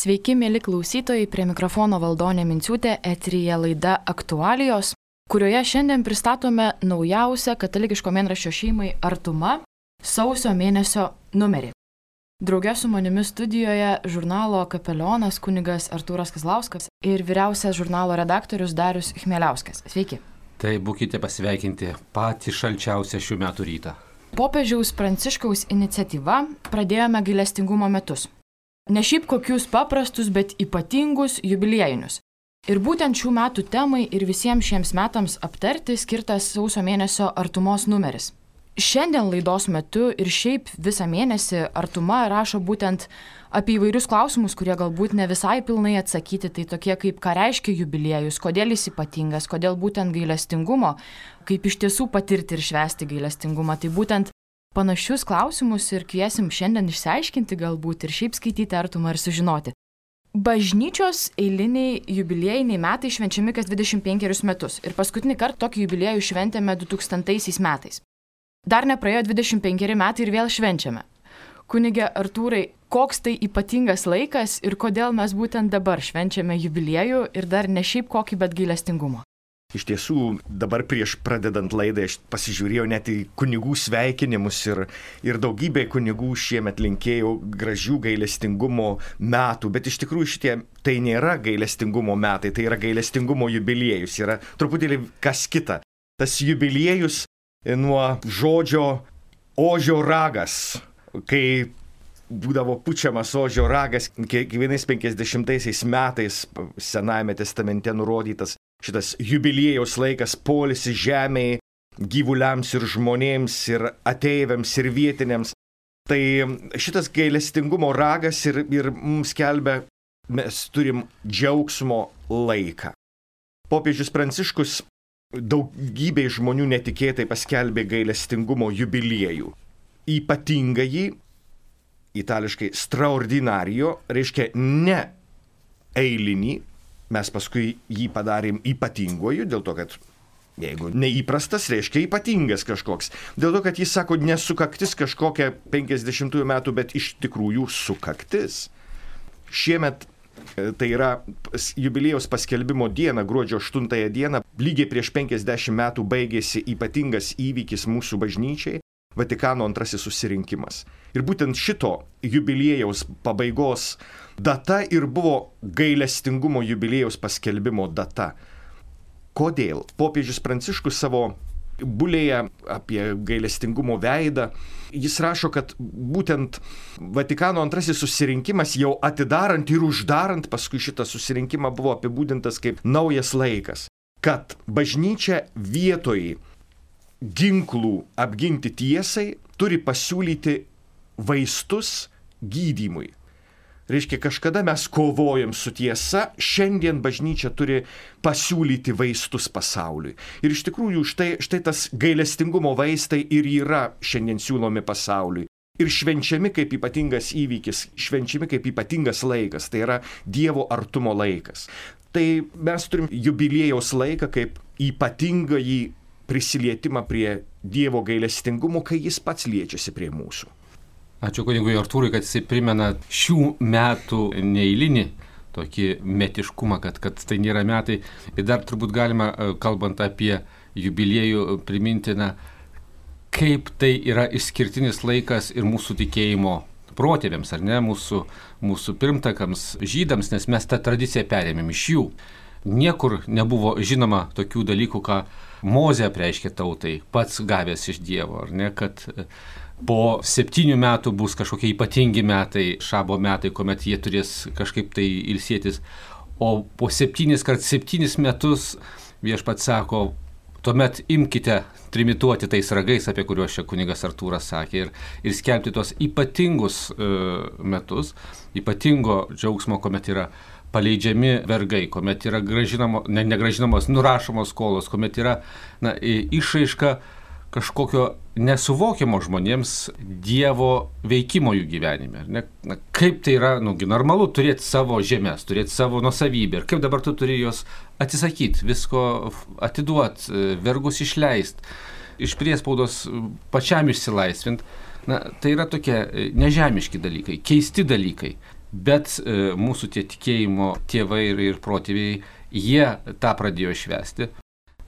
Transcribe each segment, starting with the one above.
Sveiki, mėly klausytojai, prie mikrofono Valdonė Minciūtė, eteryje laida Aktualijos, kurioje šiandien pristatome naujausią katalikiško mėnraščio šeimai Artuma sausio mėnesio numerį. Drauge su manimi studijoje žurnalo kapelionas kunigas Artūras Kazlauskas ir vyriausias žurnalo redaktorius Darius Chmieliauskas. Sveiki. Tai būkite pasveikinti patį šalčiausią šių metų rytą. Popiežiaus Pranciškaus iniciatyva pradėjome gailestingumo metus. Ne šiaip kokius paprastus, bet ypatingus jubiliejinius. Ir būtent šių metų temai ir visiems šiems metams aptarti skirtas sausio mėnesio Artumos numeris. Šiandien laidos metu ir šiaip visą mėnesį Artuma rašo būtent apie įvairius klausimus, kurie galbūt ne visai pilnai atsakyti, tai tokie kaip ką reiškia jubiliejus, kodėl jis ypatingas, kodėl būtent gailestingumo, kaip iš tiesų patirti ir švęsti gailestingumą. Tai būtent panašius klausimus ir kviesim šiandien išsiaiškinti galbūt ir šiaip skaityti Artumą ir sužinoti. Bažnyčios eiliniai jubiliejiniai metai švenčiami kas 25 metus ir paskutinį kartą tokį jubiliejų šventėme 2000 metais. Dar nepraėjo 25 metai ir vėl švenčiame. Kunige Artūrai, koks tai ypatingas laikas ir kodėl mes būtent dabar švenčiame jubiliejų ir dar ne šiaip kokį, bet gailestingumo? Iš tiesų, dabar prieš pradedant laidą aš pasižiūrėjau net į kunigų sveikinimus ir daugybė kunigų šiemet linkėjau gražių gailestingumo metų, bet iš tikrųjų šitie tai nėra gailestingumo metai, tai yra gailestingumo jubiliejus, yra truputėlį kas kita. Tas jubiliejus nuo žodžio ožio ragas, kai būdavo pučiamas ožio ragas, kiekvienais 50 metais Senajame testamente nurodytas šitas jubiliejaus laikas, poilsis žemėje, gyvuliams ir žmonėms, ir ateiviams, ir vietiniams. Tai šitas gailestingumo ragas ir mums skelbia, mes turim džiaugsmo laiką. Popiežius Pranciškus daugybė žmonių netikėtai paskelbė gailestingumo jubiliejų. Ypatingąjį, itališkai straordinario, reiškia ne eilinį, mes paskui jį padarėm ypatinguoju, dėl to, kad jeigu neįprastas, reiškia ypatingas kažkoks. Dėl to, kad jis sako, nesukaktis kažkokia 50 metų, bet iš tikrųjų sukaktis. Šiemet, tai yra jubiliejaus paskelbimo diena, gruodžio 8 dieną, lygiai prieš 50 metų baigėsi ypatingas įvykis mūsų bažnyčiai, Vatikano II susirinkimas. Ir būtent šito jubiliejaus pabaigos data ir buvo gailestingumo jubiliejaus paskelbimo data. Kodėl? Popiežius Pranciškus savo bulėje apie gailestingumo veidą, jis rašo, kad būtent Vatikano II susirinkimas jau atidarant ir uždarant paskui šitą susirinkimą buvo apibūdintas kaip naujas laikas, kad bažnyčia vietoj ginklų apginti tiesai turi pasiūlyti vaistus gydymui. Reiškia, kažkada mes kovojam su tiesa, šiandien bažnyčia turi pasiūlyti vaistus pasauliui. Ir iš tikrųjų štai tas gailestingumo vaistai ir yra šiandien siūlomi pasauliui. Ir švenčiami kaip ypatingas įvykis, švenčiami kaip ypatingas laikas, tai yra Dievo artumo laikas. Tai mes turim jubiliejaus laiką kaip ypatingąjį prisilietimą prie Dievo gailestingumo, kai jis pats liečiasi prie mūsų. Ačiū kunigui Artūrui, kad jisai primena šių metų neeilinį tokį metiškumą, kad tai nėra metai. Ir dar turbūt galima, kalbant apie jubiliejų, priminti, kaip tai yra išskirtinis laikas ir mūsų tikėjimo protėviams, ar ne, mūsų pirmtakams, žydams, nes mes tą tradiciją perėmėm iš jų. Niekur nebuvo žinoma tokių dalykų, ką Mozė apreiškė tautai, pats gavęs iš Dievo, ar ne, kad po 7 metų bus kažkokie ypatingi metai, šabo metai, kuomet jie turės kažkaip tai ilsėtis, o po 7 metus viešpats sako, tuomet imkite trimituoti tais ragais, apie kuriuos čia kunigas Artūras sakė, ir skelbti tos ypatingus metus, ypatingo džiaugsmo, kuomet yra paleidžiami vergai, kuomet yra negražinamos, nurašomos skolos, kuomet yra išraiška kažkokio nesuvokiamo žmonėms Dievo veikimo jų gyvenime. Kaip tai yra, normalu turėti savo žemės, turėti savo nuosavybę ir kaip dabar tu turi jos atsisakyti, visko atiduoti, vergus išleisti, iš priespaudos pačiam išsilaisvinti. Tai yra tokie nežemiški dalykai, keisti dalykai. Bet mūsų tie tikėjimo tėvai ir protėviai, jie tą pradėjo švęsti.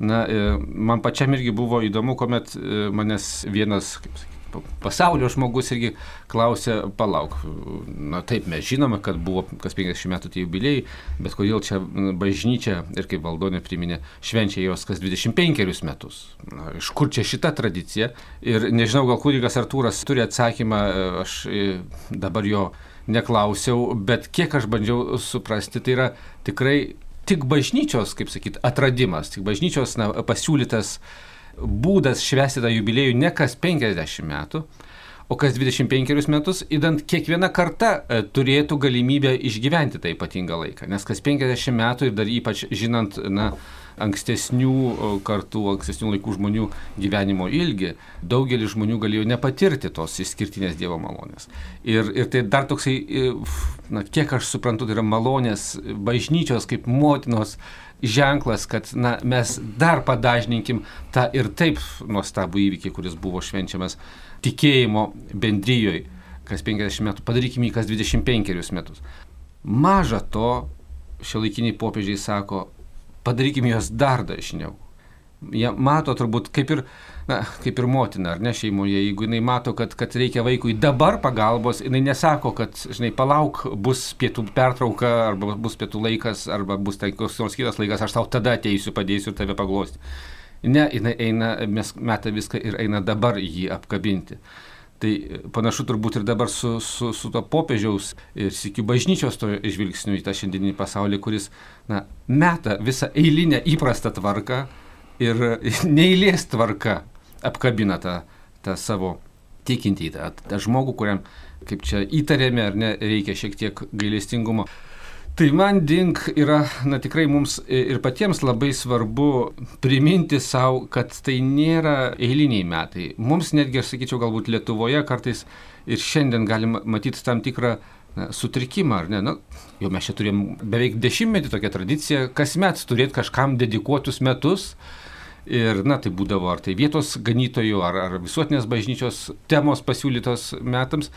Na, man pačiam irgi buvo įdomu, kuomet manęs vienas, kaip sakyti, pasaulio žmogus irgi klausė, palauk, na taip, mes žinome, kad buvo kas 50 metų tie jubiliejai, bet kodėl čia bažnyčia, ir kaip Valdonė priminė, švenčia jos kas 25 metus. Na, iš kur čia šita tradicija? Ir nežinau, gal kunigas Artūras turi atsakymą, aš dabar jo neklausiau, bet kiek aš bandžiau suprasti, tai yra tikrai tik bažnyčios, kaip sakyti, atradimas, tik bažnyčios pasiūlytas būdas švęsti tą jubiliejų ne kas 50 metų, o kas 25 metus, idant kiekviena karta turėtų galimybę išgyventi tą ypatingą laiką. Nes kas 50 metų ir dar ypač žinant ankstesnių kartų, ankstesnių laikų žmonių gyvenimo ilgį, daugelis žmonių galėjo nepatirti tos išskirtinės Dievo malonės. Ir tai dar toksai, kiek aš suprantu, tai yra malonės bažnyčios kaip motinos ženklas, kad mes dar padažninkim tą ir taip nuostabų įvykį, kuris buvo švenčiamas tikėjimo bendrijoje kas 50 metų, padarykime jį kas 25 metus. Maža to, šiuolaikiniai popiežiai sako, padarykime juos dar dažniau. Jie mato turbūt kaip ir motina, ar ne, šeimoje, jeigu jinai mato, kad reikia vaikui dabar pagalbos, jinai nesako, kad, palauk, bus pietų pertrauka, arba bus pietų laikas, arba bus koks nors kitas laikas, aš tau tada ateisiu, padėsiu ir tave paglosti. Ne, jinai eina, meta viską ir eina dabar jį apkabinti. Tai panašu turbūt ir dabar su to popiežiaus ir sykiu bažnyčios to žvilgsniu į tą šiandieninį pasaulį, kuris meta visą eilinę įprastą tvarką ir neeilės tvarka apkabina tą savo tikintį, tą žmogų, kuriam, kaip čia įtarėme, ar ne, reikia šiek tiek gailestingumo. Tai man yra, tikrai mums ir patiems labai svarbu priminti savo, kad tai nėra eiliniai metai. Mums netgi, aš sakyčiau, galbūt Lietuvoje kartais ir šiandien galim matyti tam tikrą sutrikimą, ar ne? Jau mes čia turėjom beveik 10 tokią tradiciją, kasmet turėti kažkam dedikuotus metus. Ir, tai būdavo ar tai vietos ganytojų, ar visuotinės bažnyčios temos pasiūlytos metams.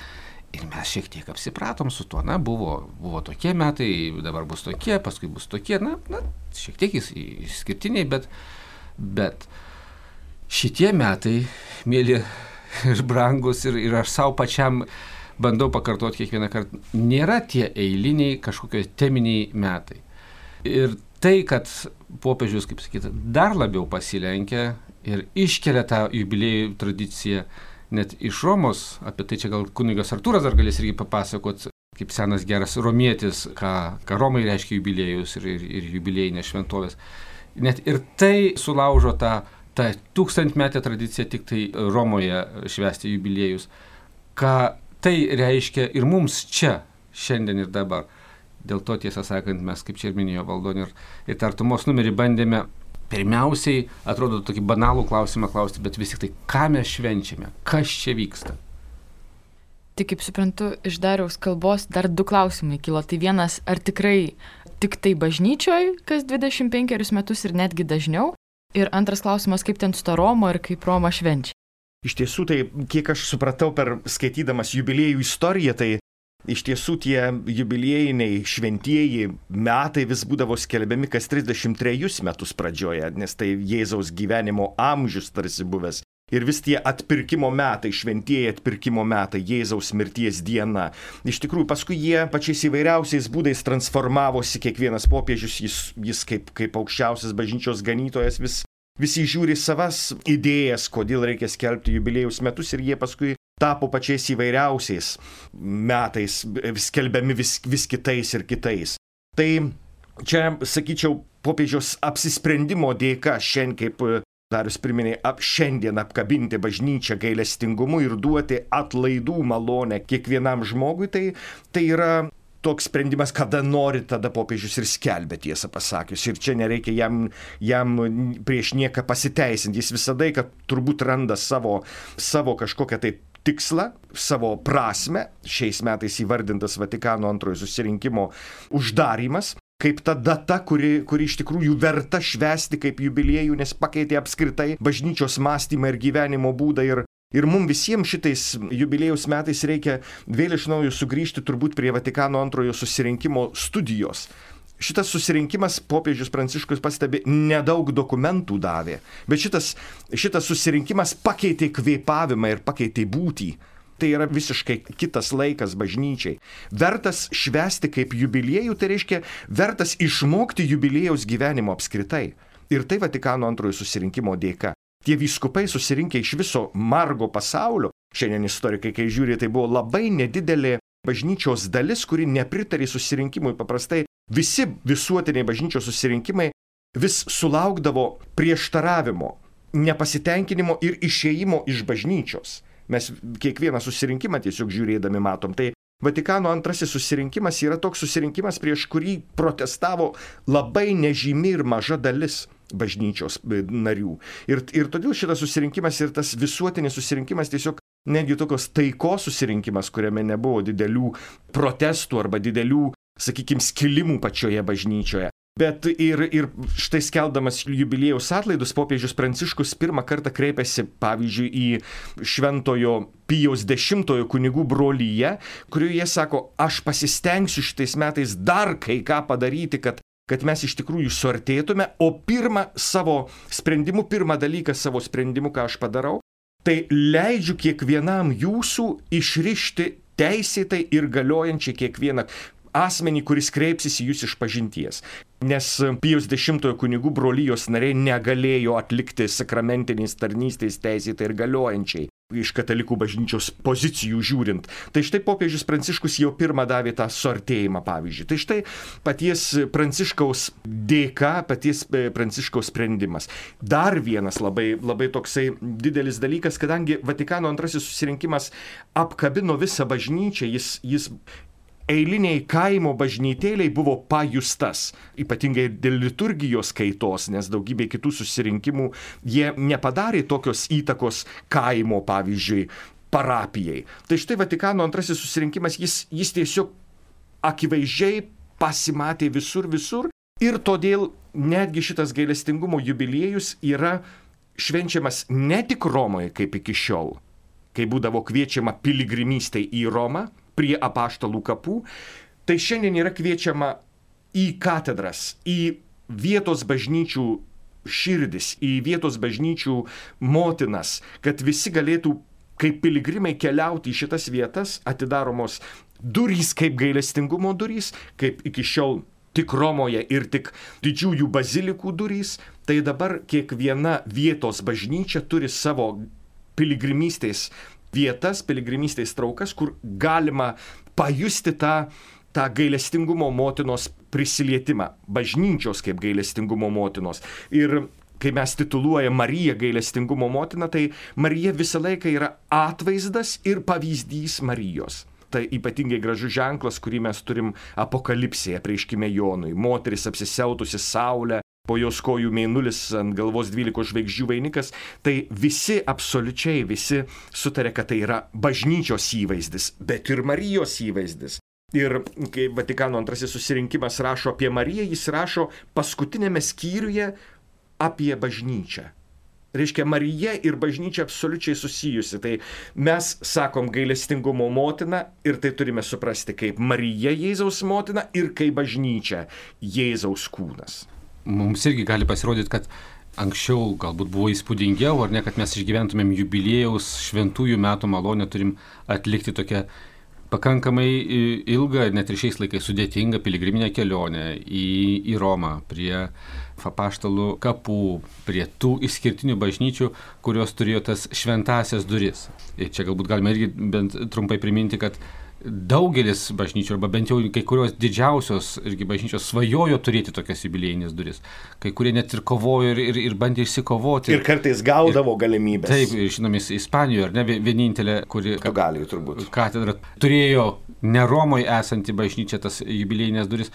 Ir mes šiek tiek apsipratom su tuo, buvo tokie metai, dabar bus tokie, paskui bus tokie, šiek tiek išskirtiniai, bet šitie metai, mėly ir brangus, ir aš savo pačiam bandau pakartoti kiekvieną kartą, nėra tie eiliniai kažkokie teminiai metai. Ir tai, kad popiežius, kaip sakyti, dar labiau pasilenkia ir iškelia tą jubiliejų tradiciją, net iš Romos, apie tai čia gal kunigas Artūras dar galės irgi papasakot, kaip senas geras romietis, ką Romai reiškia jubiliejus ir jubiliejinės šventovės. Net ir tai sulaužo tą 1000-metę tradiciją tik tai Romoje švęsti jubiliejus. Ką tai reiškia ir mums čia, šiandien ir dabar. Dėl to, tiesą sakant, mes, kaip čia ir minėjo Valdonė, ir artumos numerį bandėme pirmiausiai, atrodo, tokį banalų klausimą klausti, bet vis tik tai, ką mes švenčiame, kas čia vyksta. Tai kaip suprantu, iš Dariaus kalbos dar 2 klausimai kilo. Tai vienas, ar tikrai tik tai bažnyčioje kas 25 metus ir netgi dažniau? Ir antras klausimas, kaip ten su ta Roma ir kaip Roma švenčia? Iš tiesų, tai kiek aš supratau per skaitydamas jubiliejų istoriją, tai iš tiesų tie jubiliejiniai šventieji metai vis būdavo skelbiami kas 33 metus pradžioje, nes tai Jėzaus gyvenimo amžius tarsi buvęs. Ir vis tie atpirkimo metai, šventieji atpirkimo metai, Jėzaus mirties diena. Iš tikrųjų, paskui jie pačiais įvairiausiais būdais transformavosi, kiekvienas popiežius, jis kaip aukščiausias bažnyčios ganytojas visi žiūri savas idėjas, kodėl reikia skelbti jubiliejus metus ir jie paskui tapo pačiais įvairiausiais metais, skelbiami vis kitais ir kitais. Tai čia, sakyčiau, popiežiaus apsisprendimo dėka šiandien, kaip Darius priminė, šiandien apkabinti bažnyčią gailestingumu ir duoti atlaidų malonę kiekvienam žmogui, tai yra toks sprendimas, kada nori, tada popiežius ir skelbia, tiesą pasakius. Ir čia nereikia jam prieš nieką pasiteisinti. Jis visada, kad turbūt randa savo kažkokią tai tikslą, savo prasmę, šiais metais įvardintas Vatikano antrojo susirinkimo uždarymas, kaip ta data, kuri iš tikrųjų verta švęsti kaip jubiliejų, nes pakeitė apskritai bažnyčios mąstymą ir gyvenimo būdą. Ir Ir mums visiems šitais jubiliejaus metais reikia vėl iš naujo sugrįžti turbūt prie Vatikano antrojo susirinkimo studijos. Šitas susirinkimas, popiežius Pranciškus pastebi, nedaug dokumentų davė, bet šitas susirinkimas pakeitė kvėpavimą ir pakeitė būtį. Tai yra visiškai kitas laikas bažnyčiai. Vertas švęsti kaip jubiliejų, tai reiškia vertas išmokti jubiliejaus gyvenimo apskritai. Ir tai Vatikano antrojo susirinkimo dėka. Tie vyskupai susirinkę iš viso margo pasaulio, šiandien istorikai, kai žiūri, tai buvo labai nedidelė bažnyčios dalis, kuri nepritarė susirinkimui. Paprastai visi visuotiniai bažnyčios susirinkimai vis sulaukdavo prieštaravimo, nepasitenkinimo ir išėjimo iš bažnyčios. Mes kiekvieną susirinkimą tiesiog žiūrėdami matom. Tai Vatikano antrasis susirinkimas yra toks susirinkimas, prieš kurį protestavo labai nežymi ir maža dalis bažnyčios narių. Ir todėl šitas susirinkimas ir tas visuotinis susirinkimas tiesiog netgi tokios taikos susirinkimas, kuriame nebuvo didelių protestų arba didelių, sakykime, skilimų pačioje bažnyčioje. Bet ir štai skeldamas jubiliejaus atlaidus, popiežius Pranciškus pirmą kartą kreipėsi, pavyzdžiui, į Šventojo Pijaus X kunigų brolyje, kurioje sako, aš pasistengsiu šitais metais dar kai ką padaryti, kad mes iš tikrųjų suartėtume, o pirmą dalyką savo sprendimu, ką aš padarau, tai leidžiu kiekvienam jūsų išrišti teisėtai ir galiojančiai kiekvieną asmenį, kuris kreipsis į jūs iš pažinties. Nes Pijaus X kunigų brolijos nariai negalėjo atlikti sakramentinės tarnystės teisėtai ir galiojančiai, iš katalikų bažnyčios pozicijų žiūrint. Tai štai popiežius Pranciškus jau pirmą davė tą suartėjimą, pavyzdžiui. Tai štai paties Pranciškaus dėka, paties Pranciškaus sprendimas. Dar vienas labai toksai didelis dalykas, kadangi Vatikano antrasis susirinkimas apkabino visą bažnyčią, jis eiliniai kaimo bažnytėliai buvo pajustas, ypatingai dėl liturgijos kaitos, nes daugybė kitų susirinkimų jie nepadarė tokios įtakos kaimo, pavyzdžiui, parapijai. Tai štai Vatikano antrasis susirinkimas, jis tiesiog akivaizdžiai pasimatė visur ir todėl netgi šitas gailestingumo jubiliejus yra švenčiamas ne tik Romoje kaip iki šiol, kai būdavo kviečiama piligrimystei į Romą, prie apaštalų kapų, tai šiandien yra kviečiama į katedras, į vietos bažnyčių širdis, į vietos bažnyčių motinas, kad visi galėtų kaip piligrimai keliauti į šitas vietas, atidaromos durys kaip gailestingumo durys, kaip iki šiol tik Romoje ir tik didžiųjų bazilikų durys, tai dabar kiekviena vietos bažnyčia turi savo piligrimystės vietas, piligrimystės traukas, kur galima pajusti tą gailestingumo motinos prisilietimą, bažnyčios kaip gailestingumo motinos. Ir kai mes tituluojam Mariją gailestingumo motiną, tai Marija visą laiką yra atvaizdas ir pavyzdys Marijos. Tai ypatingai gražus ženklas, kurį mes turim Apokalipsėje, apreiškime Jonui. Moteris apsisiautusi saulę, po jos kojų mėnulis, ant galvos 12 žvaigždžių vainikas, tai absoliučiai visi sutarė, kad tai yra bažnyčios įvaizdis, bet ir Marijos įvaizdis. Ir kai Vatikano antrasis susirinkimas rašo apie Mariją, jis rašo paskutinėme skyriuje apie bažnyčią. Reiškia, Marija ir bažnyčia absoliučiai susijusi. Tai mes sakom gailestingumo motina ir tai turime suprasti kaip Marija Jėzaus motina ir kaip bažnyčia Jėzaus kūnas. Mums irgi gali pasirodyti, kad anksčiau galbūt buvo įspūdingiau, ar ne, kad mes išgyventumėm jubiliejaus šventųjų metų malonę, turim atlikti tokią pakankamai ilgą, net ir šiais laikais sudėtingą piligriminę kelionę į Romą, prie apaštalų kapų, prie tų išskirtinių bažnyčių, kurios turėjo tas šventąsias duris. Ir čia galbūt galime irgi bent trumpai priminti, kad daugelis bažnyčių, arba bent jau kai kurios didžiausios irgi bažnyčios svajojo turėti tokias jubiliejinės duris. Kai kurie net ir kovojo ir bandė išsikovoti. Ir kartais gaudavo galimybės. Taip, žinome, Ispanijoje, ar ne, vienintelė, kuri katedra turėjo ne Romoje esanti bažnyčia tas jubiliejinės duris.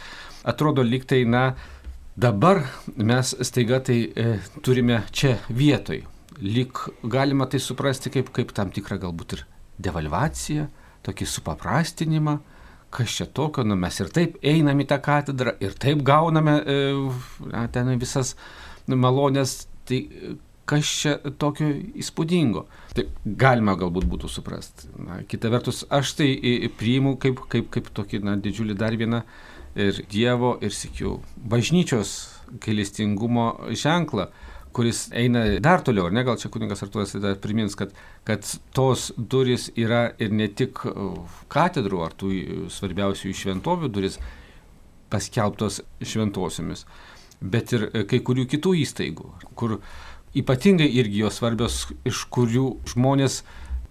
Atrodo, lyg tai, dabar mes staiga tai turime čia vietoj. Lyg galima tai suprasti kaip tam tikrą galbūt ir devalvaciją, tokį supaprastinimą, kas čia tokio, mes ir taip einam į tą katedrą, ir taip gauname ten visas malonės. Tai kas čia tokio įspūdingo. Tai galima galbūt būtų suprasti. Kita vertus, aš tai priimu kaip tokį didžiulį dar vieną ir Dievo, ir sykiu bažnyčios gailestingumo ženklą, kuris eina dar toliau, ar ne, gal čia kunigas Artūras dar primins, kad tos durys yra ir ne tik katedrų ar tų svarbiausių šventovių durys paskelbtos šventosiomis, bet ir kai kurių kitų įstaigų, kur ypatingai irgi jos svarbios, iš kurių žmonės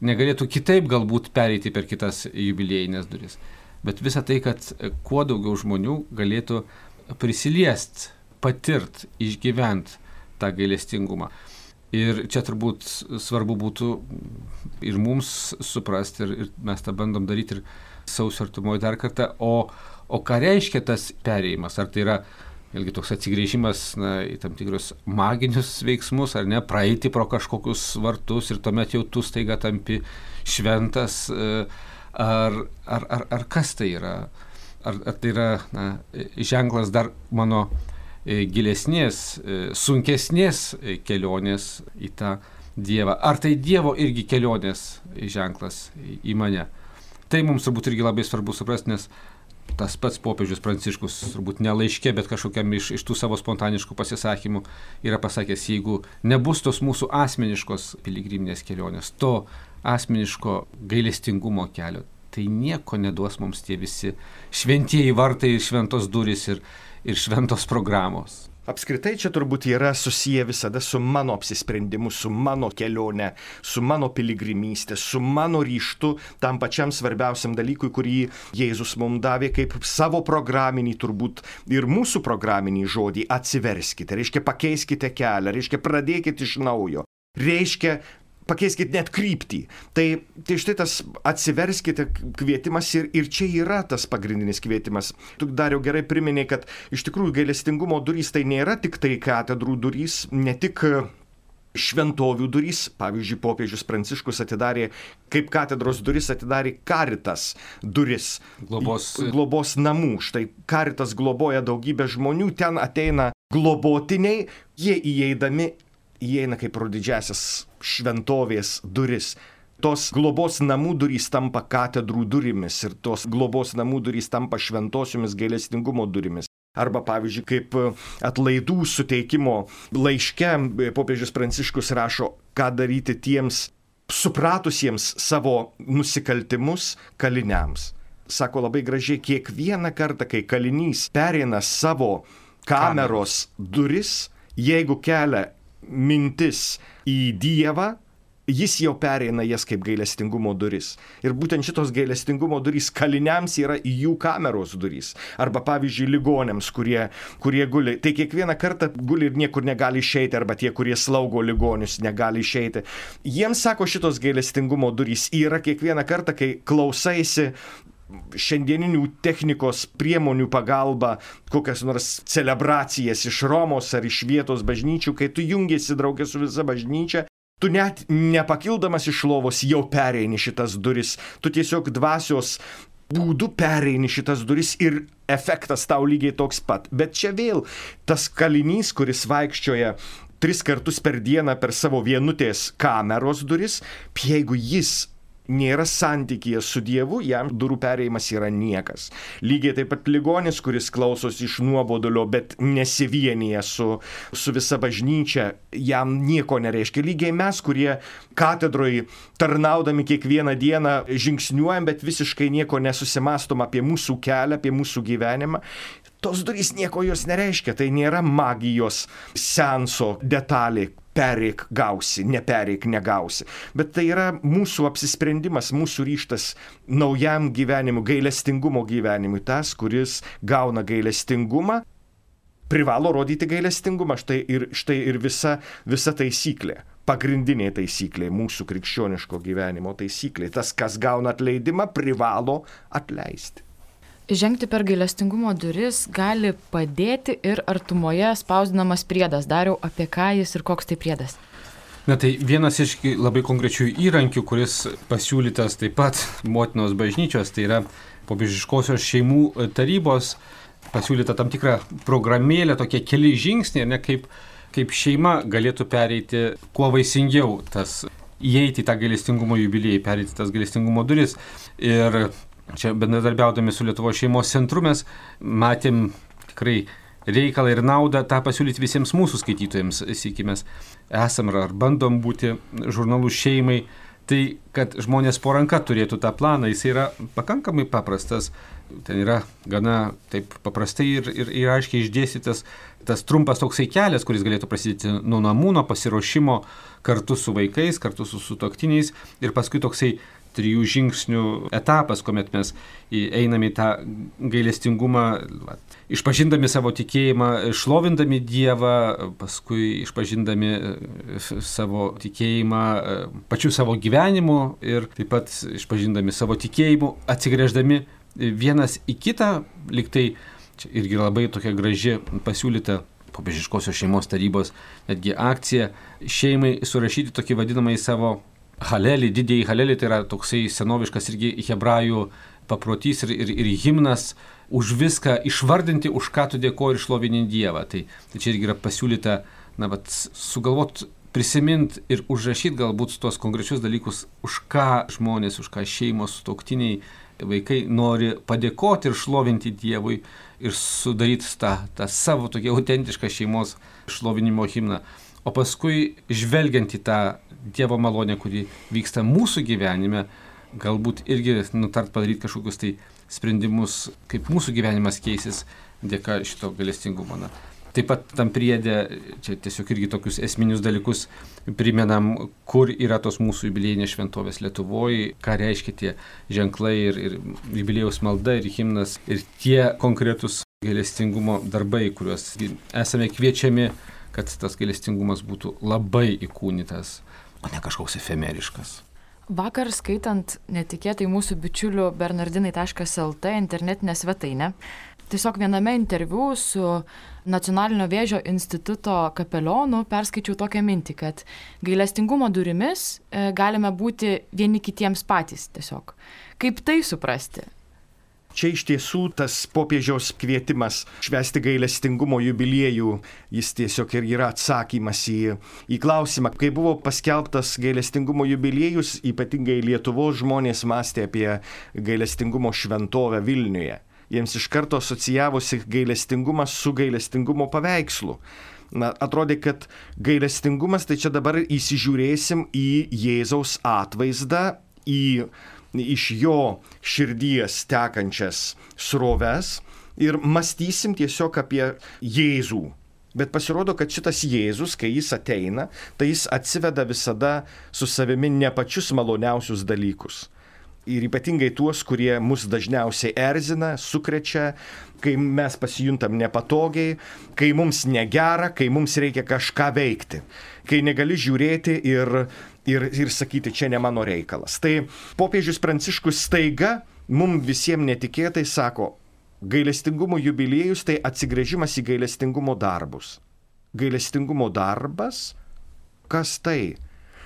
negalėtų kitaip galbūt pereiti per kitas jubiliejinės duris. Bet visa tai, kad kuo daugiau žmonių galėtų prisiliest, patirt, išgyvent tą gailestingumą. Ir čia turbūt svarbu būtų ir mums suprasti, ir mes tą bandom daryti ir sausio artumoje dar kartą, o ką reiškia tas perėjimas? Ar tai yra vėlgi toks atsigrėžimas į tam tikrus maginius veiksmus, ar ne, praeiti pro kažkokius vartus ir tuomet jau tu staiga tampi šventas, ar kas tai yra? Ar tai yra ženklas dar mano gilesnės, sunkesnės kelionės į tą Dievą? Ar tai Dievo irgi kelionės ženklas į mane? Tai mums turbūt irgi labai svarbu suprasti, nes tas pats popiežius Pranciškus, turbūt ne laiške, bet kažkokiam iš tų savo spontaniškų pasisakymų yra pasakęs, jeigu nebus tos mūsų asmeniškos piligriminės kelionės, to asmeniško gailestingumo kelio, tai nieko neduos mums tie visi šventieji vartai, šventos durys ir šventos programos. Apskritai čia turbūt yra susiję visada su mano apsisprendimu, su mano kelionė, su mano piligrimystė, su mano ryžtu tam pačiam svarbiausiam dalykui, kurį Jėzus mums davė kaip savo programinį, turbūt ir mūsų programinį žodį - atsiverskite, reiškia pakeiskite kelią, reiškia pradėkite iš naujo, reiškia pakeiskit net kryptį. Tai štai tas atsiverskite kvietimas ir čia yra tas pagrindinis kvietimas. Tu, Dariau, gerai priminėjai, kad iš tikrųjų gailestingumo durys tai nėra tik tai katedrų durys, ne tik šventovių durys. Pavyzdžiui, popiežius Pranciškus atidarė, kaip katedros duris atidarė Caritas duris. Globos namų. Štai Caritas globoja daugybę žmonių, ten ateina globotiniai, jie įeina kaip pro didžiasias šventovės duris. Tos globos namų durys tampa katedrų durimis ir tos globos namų durys tampa šventosiomis gailestingumo durimis. Arba, pavyzdžiui, kaip atlaidų suteikimo laiške popiežius Pranciškus rašo, ką daryti tiems supratusiems savo nusikaltimus kaliniams. Sako labai gražiai, kiekvieną kartą, kai kalinys pereina savo kameros duris, jeigu kelia mintis į Dievą, jis jau pereina jas kaip gailestingumo duris. Ir būtent šitos gailestingumo durys kaliniams yra jų kameros durys. Arba, pavyzdžiui, ligoniams, kurie guli. Tai kiekvieną kartą guli ir niekur negali išeiti, arba tie, kurie slaugo ligonius, negali išeiti. Jiems, sako, šitos gailestingumo durys yra kiekvieną kartą, kai klausaisi šiandieninių technikos priemonių pagalba, kokias nors celebracijas iš Romos ar iš vietos bažnyčių, kai tu jungiesi draugė su visa bažnyčia, tu net nepakildamas iš lovos jau pereini šitas duris, tu tiesiog dvasios būdu pereini šitas duris ir efektas tau lygiai toks pat. Bet čia vėl tas kalinys, kuris vaikščioja 3 kartus per dieną per savo vienutės kameros duris, jeigu jis nėra santykyje su Dievu, jam durų perėjimas yra niekas. Lygiai taip pat ligonis, kuris klausosi iš nuobodulio, bet nesivienyje su visa bažnyčia, jam nieko nereiškia. Lygiai mes, kurie katedroje tarnaudami kiekvieną dieną žingsniuojam, bet visiškai nieko nesusimastom apie mūsų kelią, apie mūsų gyvenimą. Tos durys nieko jos nereiškia, tai nėra magijos seanso detalė. Pereik gausi, nepereik negausi. Bet tai yra mūsų apsisprendimas, mūsų ryžtas naujam gyvenimui, gailestingumo gyvenimui. Tas, kuris gauna gailestingumą, privalo rodyti gailestingumą. Štai ir visa taisyklė. Pagrindinė taisyklė, mūsų krikščioniško gyvenimo taisyklė. Tas, kas gauna atleidimą, privalo atleisti. Žengti per gailestingumo duris gali padėti ir artumoje spausdinamas priedas. Dariau, apie ką jis ir koks tai priedas? Na tai vienas iš labai konkrečių įrankių, kuris pasiūlytas taip pat motinos bažnyčios, tai yra popiežiškosios šeimų tarybos pasiūlyta tam tikra programėlė, tokie keli žingsniai, ne, kaip kaip šeima galėtų pereiti kuo vaisingiau įeiti į tą gailestingumo jubiliejų, pereiti tas gailestingumo duris. Ir čia bendradarbiaudami su Lietuvos šeimos centru mes matėm tikrai reikalą ir naudą tą pasiūlyti visiems mūsų skaitytojams, sakykime, esam ar bandom būti žurnalu šeimai, tai kad žmonės po ranka turėtų tą planą, jis yra pakankamai paprastas, ten yra gana taip paprastai ir aiškiai išdėstytas tas trumpas toksai kelias, kuris galėtų prasidėti nuo namų, nuo pasiruošimo kartu su vaikais, kartu su sutuoktiniais ir paskui toksai 3 žingsnių etapas, kuomet mes einame į tą gailestingumą, išpažindami savo tikėjimą, šlovindami Dievą, paskui išpažindami savo tikėjimą pačiu savo gyvenimu ir taip pat išpažindami savo tikėjimu, atsigręždami vienas į kitą, lyg tai čia irgi labai tokia graži pasiūlyta popiežiškosios šeimos tarybos netgi akcija šeimai surašyti tokį vadinamąjį savo halelį, didįjį halelį, tai yra toksai senoviškas irgi hebrajų paprotys ir himnas už viską išvardinti, už ką tu dėkoji ir šlovini Dievą. Tai čia irgi yra pasiūlyta, sugalvot, prisimint ir užrašyti galbūt tuos konkrečius dalykus, už ką žmonės, už ką šeimos, sutuoktiniai, vaikai nori padėkoti ir šlovinti Dievui ir sudaryti tą savo tokį autentišką šeimos šlovinimo himną. O paskui, žvelgiant į tą Dievo malonę, kuri vyksta mūsų gyvenime, galbūt irgi padaryti kažkokius tai sprendimus, kaip mūsų gyvenimas keisis dėka šito gailestingumo. Taip pat tam priedė, čia tiesiog irgi tokius esminius dalykus primenam, kur yra tos mūsų jubiliejinės šventovės Lietuvoje, ką reiškia tie ženklai ir jubiliejaus malda ir himnas ir tie konkretus gailestingumo darbai, kuriuos esame kviečiami, kad tas gailestingumas būtų labai įkūnytas, o ne kažkoks efemeriškas. Vakar skaitant netikėtai mūsų bičiulių bernardinai.lt internetinę svetainę, tiesiog viename interviu su Nacionalinio vėžio instituto kapelionu perskaičiau tokią mintį, kad gailestingumo durimis galime būti vieni kitiems patys tiesiog. Kaip tai suprasti? Čia iš tiesų tas popiežiaus kvietimas švęsti gailestingumo jubiliejų, jis tiesiog ir yra atsakymas į klausimą. Kai buvo paskelbtas gailestingumo jubiliejus, ypatingai Lietuvos žmonės mąstė apie gailestingumo šventovę Vilniuje. Jiems iš karto asocijavosi gailestingumas su gailestingumo paveikslu. Atrodė, kad gailestingumas, tai čia dabar įsižiūrėsim į Jėzaus atvaizdą, iš jo širdies tekančias sroves ir mąstysim tiesiog apie Jėzų. Bet pasirodo, kad šitas Jėzus, kai jis ateina, tai jis atsiveda visada su savimi ne pačius maloniausius dalykus. Ir ypatingai tuos, kurie mus dažniausiai erzina, sukrečia, kai mes pasijuntam nepatogiai, kai mums negera, kai mums reikia kažką veikti, kai negali žiūrėti ir sakyti, čia ne mano reikalas. Tai popiežius Pranciškus staiga mums visiems netikėtai sako, gailestingumo jubiliejus tai atsigręžimas į gailestingumo darbus. Gailestingumo darbas? Kas tai?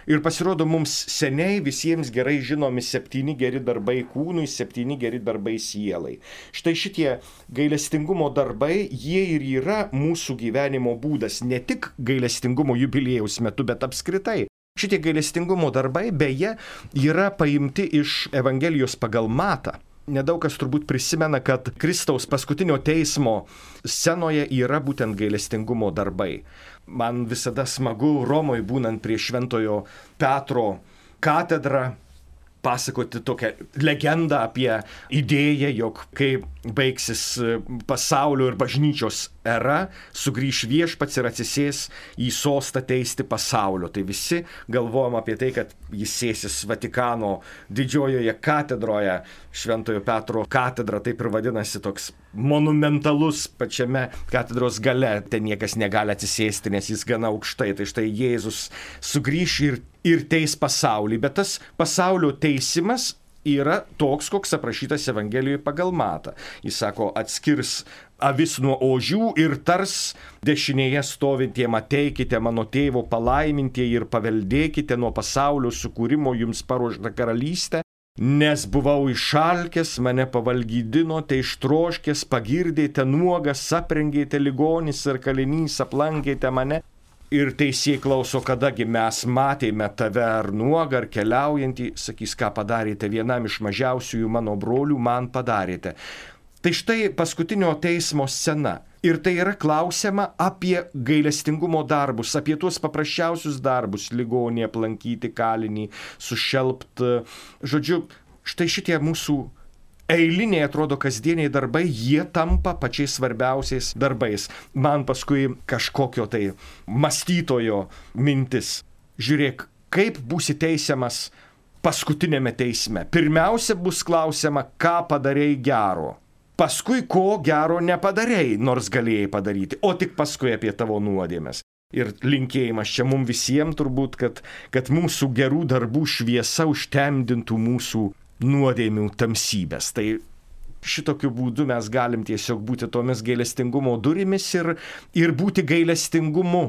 Ir pasirodo mums seniai visiems gerai žinomi 7 geri darbai kūnui, 7 geri darbai sielai. Štai šitie gailestingumo darbai, jie ir yra mūsų gyvenimo būdas, ne tik gailestingumo jubiliejaus metu, bet apskritai. Šitie gailestingumo darbai beje yra paimti iš Evangelijos pagal Matą. Nedaug kas turbūt prisimena, kad Kristaus paskutinio teismo scenoje yra būtent gailestingumo darbai. Man visada smagu Romoje būnant prie Šventojo Petro katedrą pasakoti tokią legendą apie idėją, jog kai baigsis pasaulio ir bažnyčios era, sugrįš viešpats ir atsisės į sostą teisti pasaulio. Tai visi galvojam apie tai, kad jis sėsis Vatikano didžiojoje katedroje, Šventojo Petro katedra, taip ir vadinasi, toks monumentalus pačiame katedros gale. Ten niekas negali atsisėsti, nes jis gana aukštai. Tai štai Jėzus sugrįš ir teis pasaulį, bet tas pasaulio teisimas yra toks, koks aprašytas Evangelijoje pagal Matą. Jis sako, atskirs avis nuo ožių ir tars dešinėje stovintiem, ateikite mano tėvo palaimintieji ir paveldėkite nuo pasaulio sukūrimo jums paruoštą karalystę, nes buvau išalkęs, mane pavalgydinote, ištroškęs, pagirdėte nuogas, aprengėte ligonis ir kalinys, aplankėte mane. Ir teisėjai klauso, kadagi mes matėme tave ar nuogą, ar keliaujantį, sakys, ką padarėte vienam iš mažiausiųjų mano brolių, man padarėte. Tai štai paskutinio teismo scena. Ir tai yra klausiama apie gailestingumo darbus, apie tuos paprasčiausius darbus, ligonį aplankyti, kalinį, sušelpti. Žodžiu, štai šitie mūsų eiliniai, atrodo, kasdieniai darbai, jie tampa pačiais svarbiausiais darbais. Man paskui kažkokio tai mąstytojo mintis. Žiūrėk, kaip būsi teisiamas paskutinėme teisme. Pirmiausia bus klausima, ką padarei gero. Paskui, ko gero nepadarei, nors galėjai padaryti, o tik paskui apie tavo nuodėmes. Ir linkėjimas čia mums visiems turbūt, kad mūsų gerų darbų šviesa užtemdintų mūsų nuodėmių tamsybės. Tai šitokiu būdu mes galim tiesiog būti tomis gailestingumo durimis ir būti gailestingumu.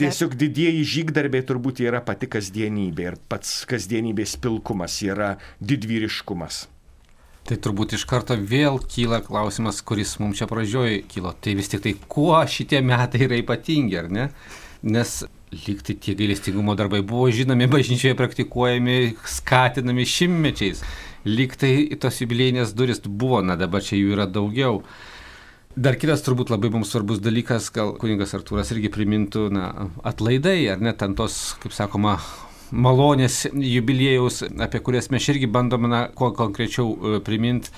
Tiesiog didieji žygdarbiai turbūt yra pati kasdienybė ir pats kasdienybės pilkumas yra didvyriškumas. Tai turbūt iš karto vėl kyla klausimas, kuris mums čia pradžioj kilo. Tai vis tik tai, kuo šitie metai yra ypatingi, ar ne? Nes lyg tai tie gailestingumo darbai buvo žinomi, bažnyčioje praktikuojami, skatinami šimtmečiais. Lyg tai tos jubiliejinės durys buvo, dabar čia jų yra daugiau. Dar kitas turbūt labai mums svarbus dalykas, gal kunigas Artūras irgi primintų, atlaidai, ar ne, ten tos, kaip sakoma, malonės jubiliejaus, apie kurias mes irgi bandome kuo konkrečiau priminti.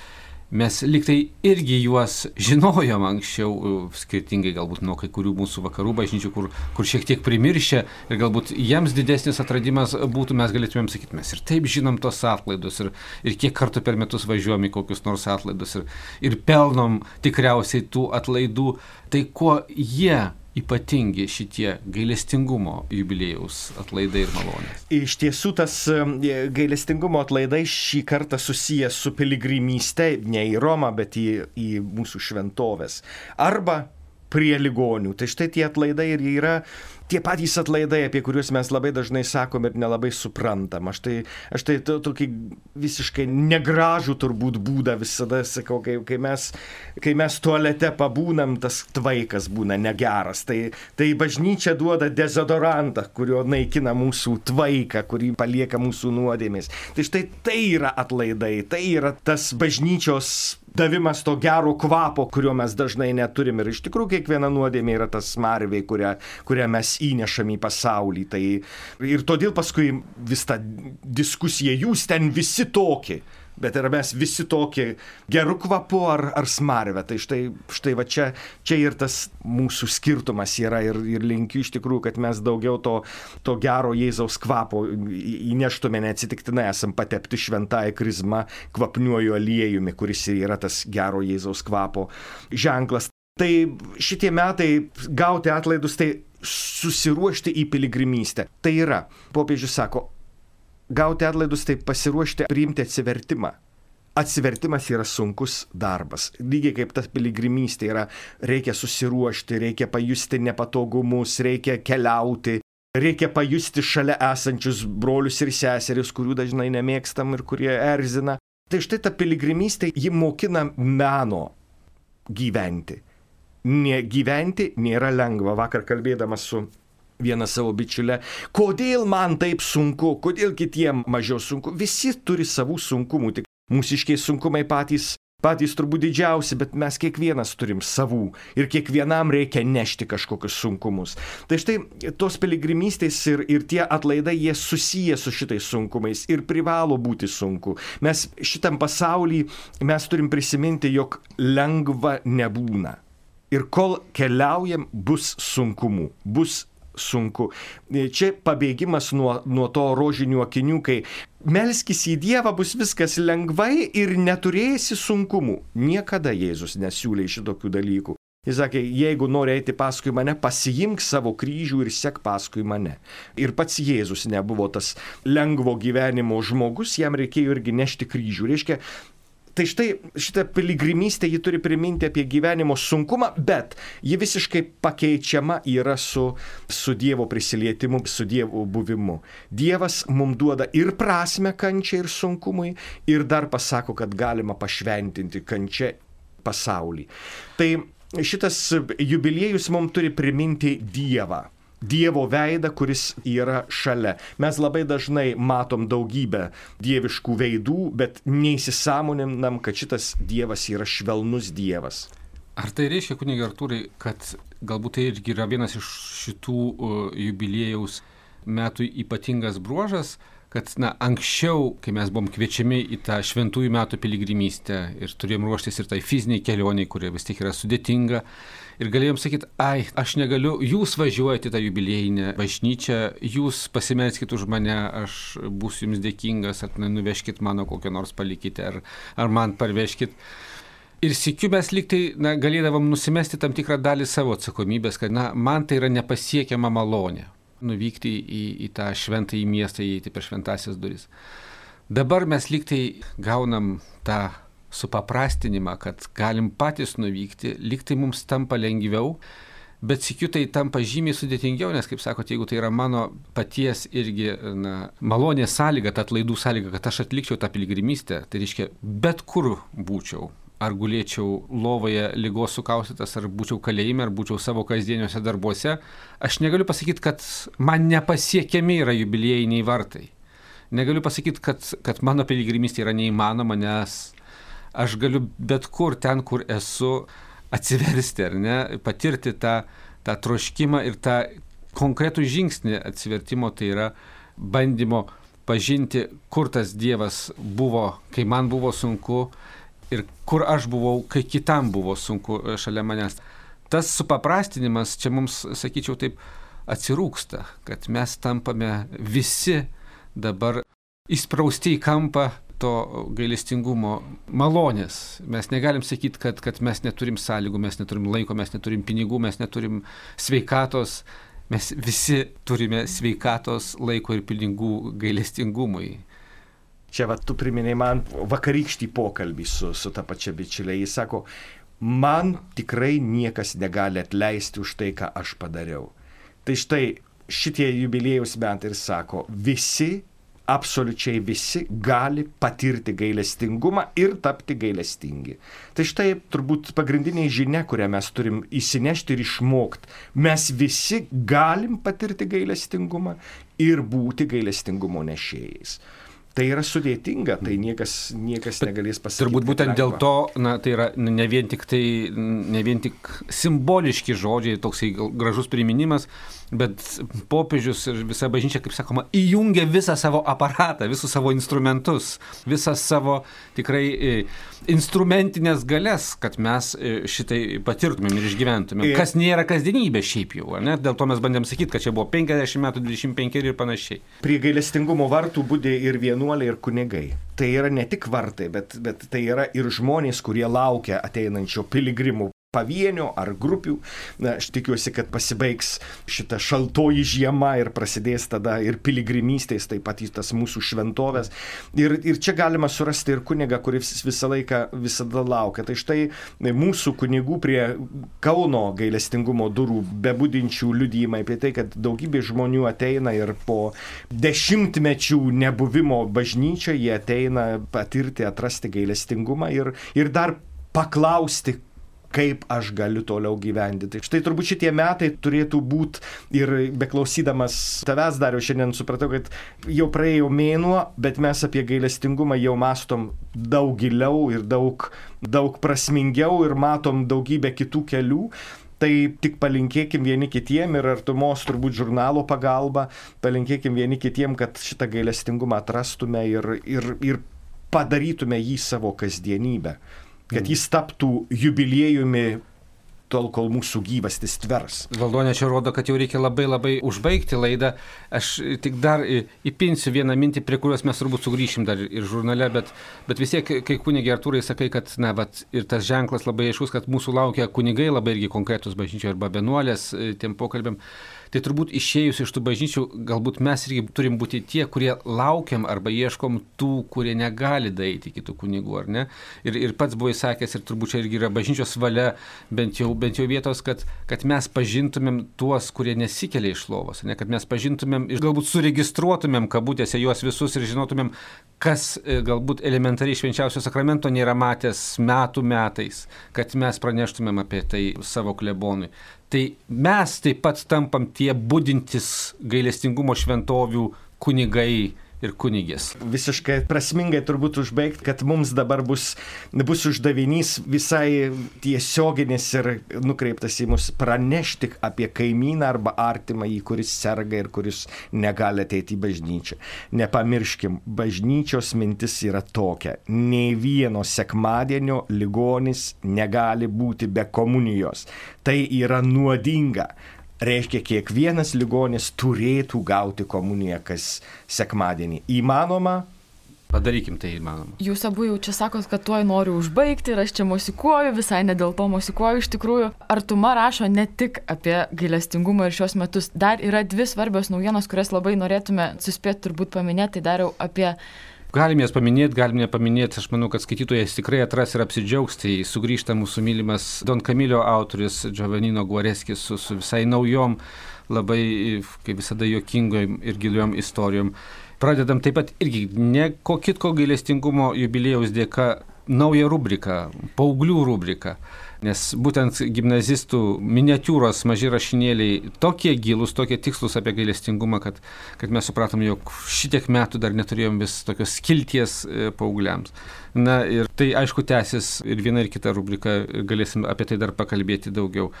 Mes liktai irgi juos žinojom anksčiau, skirtingai galbūt nuo kai kurių mūsų vakarų bažnyčių, kur šiek tiek primiršę ir galbūt jiems didesnis atradimas būtų, mes galėtumėm sakyti, mes ir taip žinom tos atlaidus ir kiek kartų per metus važiuojam į kokius nors atlaidus ir pelnom tikriausiai tų atlaidų. Tai kuo jie ypatingi šitie gailestingumo jubiliejaus atlaidai ir malonės? Iš tiesų tas gailestingumo atlaidai šį kartą susijęs su piligrimyste ne į Romą, bet į mūsų šventovės. Arba prie ligonių. Tai štai tie atlaidai ir yra tie patys atlaidai, apie kuriuos mes labai dažnai sakom ir nelabai suprantam. Aš tai tokį visiškai negražų turbūt būdą visada sakau, kai mes tualete pabūnam, tas tvaikas būna negeras. Tai bažnyčia duoda dezodorantą, kurio naikina mūsų tvaiką, kurį palieka mūsų nuodėmės. Tai štai tai yra atlaidai, tai yra tas bažnyčios davimas to gero kvapo, kurio mes dažnai neturim. Ir iš tikrųjų kiekviena nuodėmė yra tas smarvė, kurią mes įnešam į pasaulį. Tai ir todėl paskui vis ta diskusija, jūs ten visi tokie, bet ar mes visi tokie geru kvapu ar smarvę. Tai štai va čia ir tas mūsų skirtumas yra ir linkiu iš tikrųjų, kad mes daugiau to gero Jėzaus kvapo įneštume, neatsitiktinai esam patepti šventąją krizmą kvapniuoju aliejumi, kuris yra tas gero Jėzaus kvapo ženklas. Tai šitie metai gauti atlaidus, tai susiruošti į piligrimystę. Tai yra, popiežius sako, gauti atlaidus, tai pasiruošti priimti atsivertimą. Atsivertimas yra sunkus darbas. Lygiai kaip ta piligrimystė yra, reikia susiruošti, reikia pajusti nepatogumus, reikia keliauti, reikia pajusti šalia esančius brolius ir seseris, kurių dažnai nemėgstam ir kurie erzina. Tai štai ta piligrimystė, ji mokina meno gyventi. Gyventi nėra lengva. Vakar kalbėdamas su viena savo bičiulė, kodėl man taip sunku, kodėl kitiem mažiau sunku. Visi turi savų sunkumų, tik mūsiškiai sunkumai patys turbūt didžiausi, bet mes kiekvienas turim savų ir kiekvienam reikia nešti kažkokius sunkumus. Tai štai tos piligrimystės ir tie atlaidai, jie susiję su šitais sunkumais ir privalo būti sunku. Mes šitam pasauly mes turim prisiminti, jog lengva nebūna. Ir kol keliaujam, bus sunkumų, bus sunku. Čia pabėgimas nuo to rožinių akinių, kai melskis į Dievą, bus viskas lengvai ir neturėsi sunkumų. Niekada Jėzus nesiūlė šitokių dalykų. Jis sakė, jeigu nori eiti paskui mane, pasiimk savo kryžių ir sek paskui mane. Ir pats Jėzus nebuvo tas lengvo gyvenimo žmogus, jam reikėjo irgi nešti kryžių. Reiškia, tai štai šitą piligrimystę ji turi priminti apie gyvenimo sunkumą, bet ji visiškai pakeičiama yra su Dievo prisilietimu, su Dievo buvimu. Dievas mums duoda ir prasmę kančiai ir sunkumui, ir dar pasako, kad galima pašventinti kančią pasaulį. Tai šitas jubiliejus mums turi priminti Dievą. Dievo veidą, kuris yra šalia. Mes labai dažnai matom daugybę dieviškų veidų, bet neįsisąmoninam, kad šitas Dievas yra švelnus Dievas. Ar tai reiškia, kunige Artūrai, kad galbūt tai irgi yra vienas iš šitų jubiliejaus metų ypatingas bruožas, kad anksčiau, kai mes buvom kviečiami į tą šventųjų metų piligrimystę ir turėjom ruoštis ir tai fiziniai kelioniai, kurie vis tiek yra sudėtinga, ir galėjom sakyti, aš negaliu, jūs važiuojate į tą jubiliejinę bažnyčią, jūs pasimelskit už mane, aš būsiu jums dėkingas, ar nuveškit mano kokią nors palikite, ar man parveškit. Ir sykiu mes lygtai galėdavom nusimesti tam tikrą dalį savo atsakomybės, kad man tai yra nepasiekiama malonė. Nuvykti į tą šventąjį miestą, įeiti per šventasias duris. Dabar mes lygtai gaunam tą supaprastinimą, kad galim patys nuvykti, lygtai mums tampa lengviau, bet sykiu tai tampa žymiai sudėtingiau, nes, kaip sakote, jeigu tai yra mano paties irgi malonės sąlyga, ta atlaidų sąlyga, kad aš atlikčiau tą piligrimystę, tai reiškia, bet kur būčiau. Ar gulėčiau lovoje ligos sukaustytas, ar būčiau kalėjime, ar būčiau savo kasdieniuose darbuose, aš negaliu pasakyti, kad man nepasiekiami yra jubiliejiniai vartai. Negaliu pasakyti, kad mano piligrimystė yra neįmanoma, nes aš galiu bet kur, ten, kur esu, atsiversti, ar ne, patirti tą troškimą ir tą konkretų žingsnį atsivertimo, tai yra bandymo pažinti, kur tas Dievas buvo, kai man buvo sunku, ir kur aš buvau, kai kitam buvo sunku šalia manęs. Tas supaprastinimas čia mums, sakyčiau, taip atsirūksta, kad mes tampame visi dabar įsprausti į kampą to gailestingumo malonės. Mes negalim sakyti, kad mes neturim sąlygų, mes neturim laiko, mes neturim pinigų, mes neturim sveikatos. Mes visi turime sveikatos, laiko ir pinigų gailestingumui. Čia tu priminėjai man vakarykštį pokalbį su ta pačia bičiulė. Jis sako, man tikrai niekas negali atleisti už tai, ką aš padariau. Tai štai šitie jubiliejaus metai ir sako, visi, absoliučiai visi gali patirti gailestingumą ir tapti gailestingi. Tai štai turbūt pagrindinė žinia, kurią mes turim įsinešti ir išmokti. Mes visi galim patirti gailestingumą ir būti gailestingumo nešėjais. Tai yra sudėtinga, tai niekas negalės pasakyti. Turbūt būtent dėl to, tai yra ne vien tik simboliški žodžiai, toksai gražus priminimas, bet popiežius ir visa bažnyčia, kaip sakoma, įjungia visą savo aparatą, visus savo instrumentus, visą savo tikrai instrumentinės galias, kad mes šitai patirtumėm ir išgyventumėm. Kas nėra kasdienybė šiaip jau, ne? Dėl to mes bandėm sakyti, kad čia buvo 50 metų, 25 ir panašiai. Prie gailestingumo vartų budė ir vienuoliai, ir kunigai. Tai yra ne tik vartai, bet tai yra ir žmonės, kurie laukia ateinančio piligrimų pavienio ar grupių. Aš tikiuosi, kad pasibaigs šita šaltoji žiema ir prasidės tada ir piligrimystės, taip pat į tas mūsų šventovės. Ir čia galima surasti ir kunigą, kuris visada laukia. Tai štai mūsų kunigų prie Kauno gailestingumo durų bebudinčių liudijimai apie tai, kad daugybė žmonių ateina ir po dešimtmečių nebuvimo bažnyčioje jie ateina patirti, atrasti gailestingumą ir dar paklausti, kaip aš galiu toliau gyventi. Tai štai turbūt šitie metai turėtų būti ir beklausydamas tavęs, Dariau, šiandien supratau, kad jau praėjo mėnuo, bet mes apie gailestingumą jau mąstom daug giliau ir daug prasmingiau ir matom daugybę kitų kelių. Tai tik palinkėkim vieni kitiem ir artumos turbūt žurnalo pagalba, palinkėkim vieni kitiem, kad šitą gailestingumą atrastume ir padarytume jį savo kasdienybę. Kad jis taptų jubiliejumi tol, kol mūsų gyvastis tvers. Valdonė, čia rodo, kad jau reikia labai užbaigti laidą. Aš tik dar įpinsiu vieną mintį, prie kurios mes turbūt sugrįšim dar ir žurnale, bet vis tiek, kai kunigi Artūrai sakai, kad ir tas ženklas labai aiškus, kad mūsų laukia kunigai, labai irgi konkretus bažnyčio arba vienuolės tiem pokalbėm. Tai turbūt išėjus iš tų bažnyčių, galbūt mes irgi turim būti tie, kurie laukiam arba ieškom tų, kurie negali daeiti kitų kunigų, ar ne? Ir pats buvai sakęs, ir turbūt čia irgi yra bažnyčios valia, bent jau vietos, kad mes pažintumėm tuos, kurie nesikelia iš lovos, ne? Kad mes pažintumėm ir galbūt suregistruotumėm kabutėse juos visus ir žinotumėm, kas galbūt elementariai švenčiausio sakramento nėra matęs metais, kad mes praneštumėm apie tai savo klebonui. Tai mes taip pat tampam tie budintis gailestingumo šventovių kunigai ir kunigės. Visiškai prasmingai turbūt užbaigti, kad mums dabar bus uždavinys visai tiesioginis ir nukreiptas į mus pranešti apie kaimyną arba artimąjį, kuris serga ir kuris negali ateiti į bažnyčią. Nepamirškim, bažnyčios mintis yra tokia. Nei vieno sekmadienio ligonis negali būti be komunijos. Tai yra nuodinga. Reiškia, kiekvienas ligonis turėtų gauti komuniją kas sekmadienį. Įmanoma? Padarykim tai įmanoma. Jūs abu jau čia sakot, kad tuoj noriu užbaigti ir aš čia mosikuoju, visai ne dėl to mosikuoju iš tikrųjų. Artuma rašo ne tik apie gailestingumą ir šios metus. Dar yra 2 svarbios naujienos, kurias labai norėtume suspėti turbūt paminėti. Tai dariau apie... Galim jas paminėti, galim nepaminėti. Aš manau, kad skaitytojas tikrai atras ir apsidžiaugs. Tai sugrįžta mūsų mylimas Don Camillo autorius Giovannino Guareschi su visai naujom, labai, kaip visada, juokingom ir giliom istorijom. Pradedam taip pat irgi ne ko kitko gailestingumo jubiliejaus dėka naują rubriką, paauglių rubriką. Nes būtent gimnazistų miniatiūros maži rašinėliai tokie gilūs, tokie tikslus apie gailestingumą, kad mes supratom, jog šitiek metų dar neturėjom vis tokios skilties paaugliams. Na ir tai aišku tęsis ir viena ir kita rubrika, galėsim apie tai dar pakalbėti daugiau.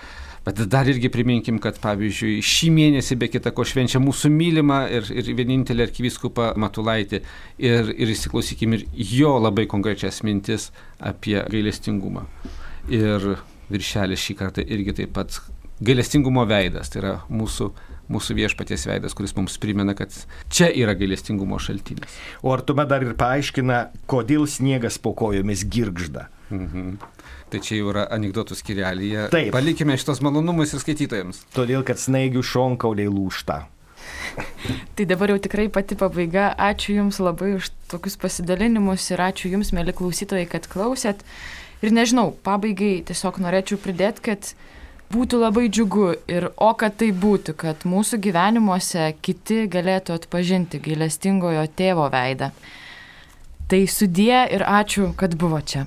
Bet dar irgi priminkim, kad pavyzdžiui šį mėnesį be kita ko švenčia mūsų mylimą ir vienintelį arkivyskupą Matulaitį ir įsiklausykim ir jo labai konkrečias mintis apie gailestingumą. Ir viršelis šį kartą irgi taip pat gailestingumo veidas, tai yra mūsų viešpaties veidas, kuris mums primena, kad čia yra gailestingumo šaltinis. O Artuma dar ir paaiškina, kodėl sniegas po kojomis girgžda. Tai čia jau yra anekdotų skyrelyje. Taip. Palikime šitos malonumus ir skaitytojams. Todėl, kad snaigių šonkauliai lūžta. Tai dabar jau tikrai pati pabaiga. Ačiū Jums labai už tokius pasidalinimus ir ačiū Jums, mėly klausytojai, kad klausėt. Ir nežinau, pabaigai tiesiog norėčiau pridėti, kad būtų labai džiugu ir kad tai būtų, kad mūsų gyvenimuose kiti galėtų atpažinti gailestingojo tėvo veidą. Tai sudie ir ačiū, kad buvo čia.